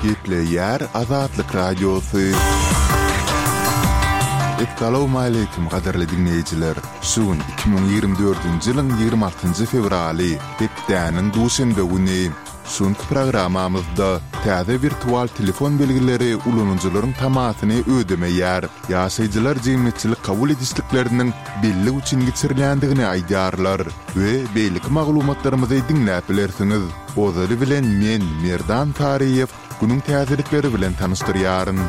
Gepleýär Azatlyk Radiosy. Essalawmaleýkim gadyrly diňleýjiler! Şu gün 2024-nji ýylyň 26-njy fewraly, hepdäniň duşenbe güni. Şu günki programmamyzda täze wirtual telefon belgileri ulanyjylaryň tamasyny ödemeýär. Ýaşaýjylar jemgyýetçilik kabul edişlikleriniň bellik üçin geçirilýändigini aýdýarlar we beýleki maglumatlarymyzy diňläp bilersiňiz. Ozaly bilen men, Merdan Taryýew, günüň täzelikleri bilen tanyşdyrýaryn.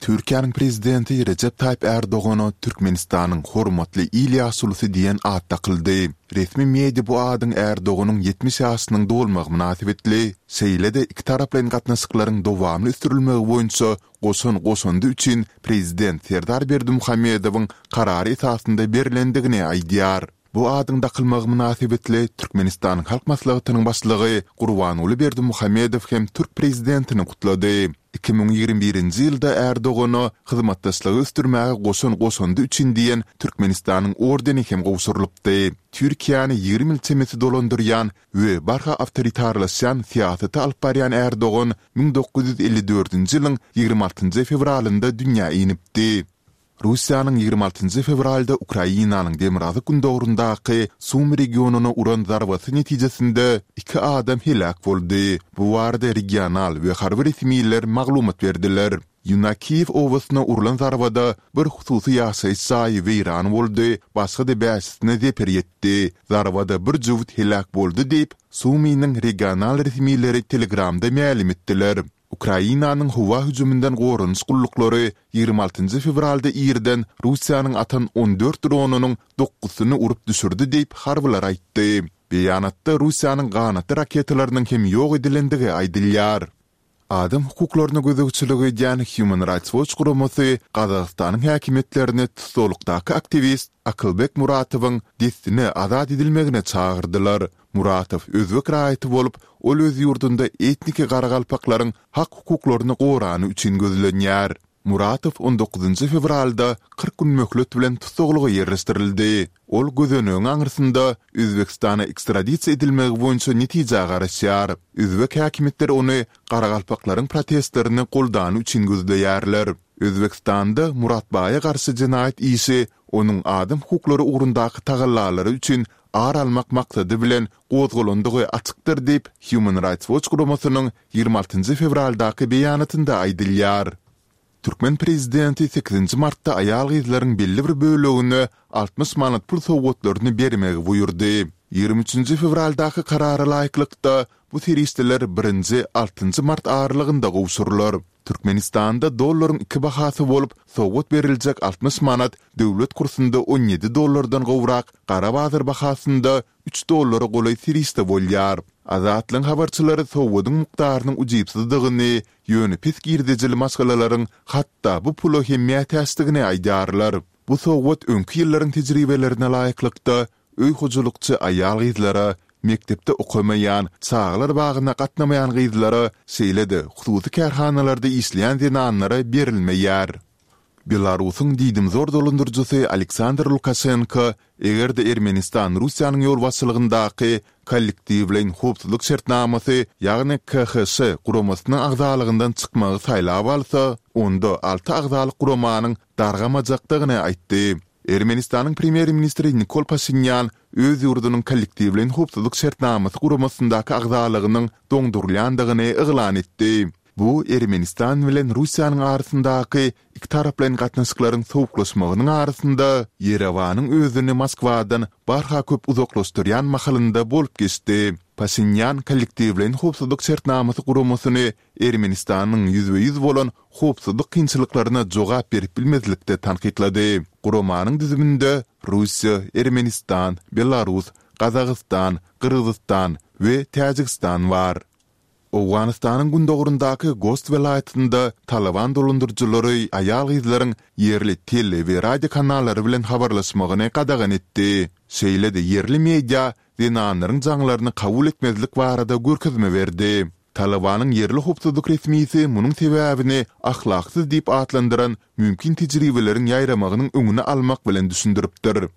Türkiýäniň Prezidenti Rejep Taýyp Ärdogana Türkmenistanyň Hormatly il ýaşulusy diýen at dakyldy. Resmi media bu adyň Ärdoganyň 70 ýaşynyň dolmagy mynasybetli, şeýle-de ikitaraplaýyn gatnaşyklaryň dowamly ösdürilmegi boýunça goşan goşandy üçin Prezident Serdar Berdimuhamedowyň karary esasynda berlendigini aýdýar. Bu adyň dakylmagy mynasybetli Türkmenistanyň Halk Maslahatynyň Başlygy Gurbanguly Berdimuhamedow hem türk Prezidentini gutlady. 2021-nji ýylda Ärdogana Hyzmatdaşlygy ösdürmäge goşan goşandy üçin diýen Türkmenistanyň ordeni hem gowşurylypdy. Türkiýäni 20 ýyl çemesi dolandyrýan we barha awtoritarlaşýan syýasaty alyp barýan Ärdogan 1954-nji ýylyň 26-njy fewralynda dünýä inipdi. Russiýanyň 26 njy fewralda Ukrainanyň demirgazyk-gündogaryndaky Sumy regionyna uran zarbasy netijesinde iki adam heläk boldy. Bu barada regional we harby resmiler maglumat berdiler. Ýunakiýew obasyna urlan zarbada bir hususy ýaşaýyş jaýy weýran boldy, başga-da bäşisine zeper ýetdi. Zarbada bir jübüt heläk boldy diýip, Sumynyň regional resmileri Telegramda mälim etdiler. Ukrainanyň howa hüjüminden goranyş gulluklary 26 fewralda irden Russiýanyň atan 14 dronynyň dokuzysyny urup düşürdi diýip, harbylar aýtdy. Beýanatda Russiýanyň ganatly raketalarynyň hem ýok edilendigi aýdylýar. Adam hukuklaryna gözegçilik edýän Human Rights Watch guramasy Gazagystanyň häkimiýetlerini tussaglykdaky aktiwist Akylbek Muratowyň dessine azat edilmegine çagyrdylar. Muratow özbek raýaty bolup, ol öz ýurdunda etniki garagalpaklaryň hak-hukuklaryny gorany üçin gözlenýär. Muratow on dokuzynjy fewralda 40 gün möhlet bilen tussaglyga ýerleşdirildi. Ol gözenegiň aňyrsynda Özbegistana ekstradisiýa edilmegi boýunça netijä garaşýar. Özbek häkimiýetleri ony garagalpaklaryň protestlerini goldany üçin gözleýärler. Özbegistanda Muratbaýa garşy jenaýat işi onuň adam hukuklary ugrundaky tagallalary üçin ar almak maksady bilen gozgalandygy açykdyr diýip, Human Rights Watch guramasynyň 26 fewraldaky beýanatynda aýdylýar. Türkmen prezidenti sekizinji martda aýal-gyzlaryň belli bir bölegine 60 manat pul sowgatlaryny bermegi buýurdy. 23 fewraldaky karara laýyklykda, bu serişdeler birinji, altynjy mart aralygynda gowşurylar. Türkmenistanda dollaryň iki bahasy bolup, sowgat beriljek 60 manat döwlet kursunda 17 dollardan gowrak, gara bazar bahasynda üç dollara golaý serişde bolýar. Azatlygyň habarçylary sowgadyň mukdarynyň ujypsyzdygyny, ýöne pes girdejili maşgalalaryň hatda bu pula hem mätäçdigini aýdýarlar. Bu sowgat öňki ýyllaryň tejribelerine laýyklykda, öý hojalykçy aýal-gyzlara, mekdepde okamaýan, çagalar bagyna gatnamaýan gyzlara, şeýle-de hususy kärhanalarda işleýän zenanlara berilmeýär. Belarusyň diýdimzor dolandyryjysy Aleksandr Lukaşenko, eger-de Ermenistan Russiýanyň ýolbaşçylygyndaky Kollektiwleýin howpsuzlyk şertnamasy, ýagny KHŞ guramasynyň agzalygyndan çykmagy saýlap alsa, onda alty agzalyk guramanyň dargamajakdygyny aýtdy. Ermenistanyň premýer-ministri Nikol Paşinýan öz ýurdunyň Kollektiwleýin howpsuzlyk şertnamasy guramasyndaky agzalygynyň doňdurylýandygyny yglan etdi. Bu Ermenistan bilen Russiýanyň arasyndaky ikitaraplaýyn gatnaşyklaryň sowuklaşmagynyň arasynda Ýerewanyň özüni Moskwadan barha köp uzaklaşdyrýan mahalynda bolup geçdi. Paşinýan Kollektiwleýin howpsuzlyk şertnamasy guramasyny Ermenistanyň ýüzbe-ýüz bolan howpsuzlyk kynçylyklaryna jogap berip bilmezlikde tankytlady. Guramanyň düzüminde Russiýa, Ermenistan, Belarus, Gazagystan, Gyrgyzystan we Täjigistan bar. Owganystanyň gündogaryndaky Gost welaýatynda Talyban dolandyryjylary aýal-gyzlaryň ýerli tele we radio kanallary bilen habarlaşmagyny gadagan etdi. Şeýle-de ýerli media zenanlaryň jaňlaryny kabul etmezlik barada görkezme berdi. Talybanyň ýerli howpsuzlyk resmisi munuň sebäbini ahlaksyz diýip atlandyran mümkin tejribeleriň ýaýramagynyň öňüni almak bilen düşündiripdir.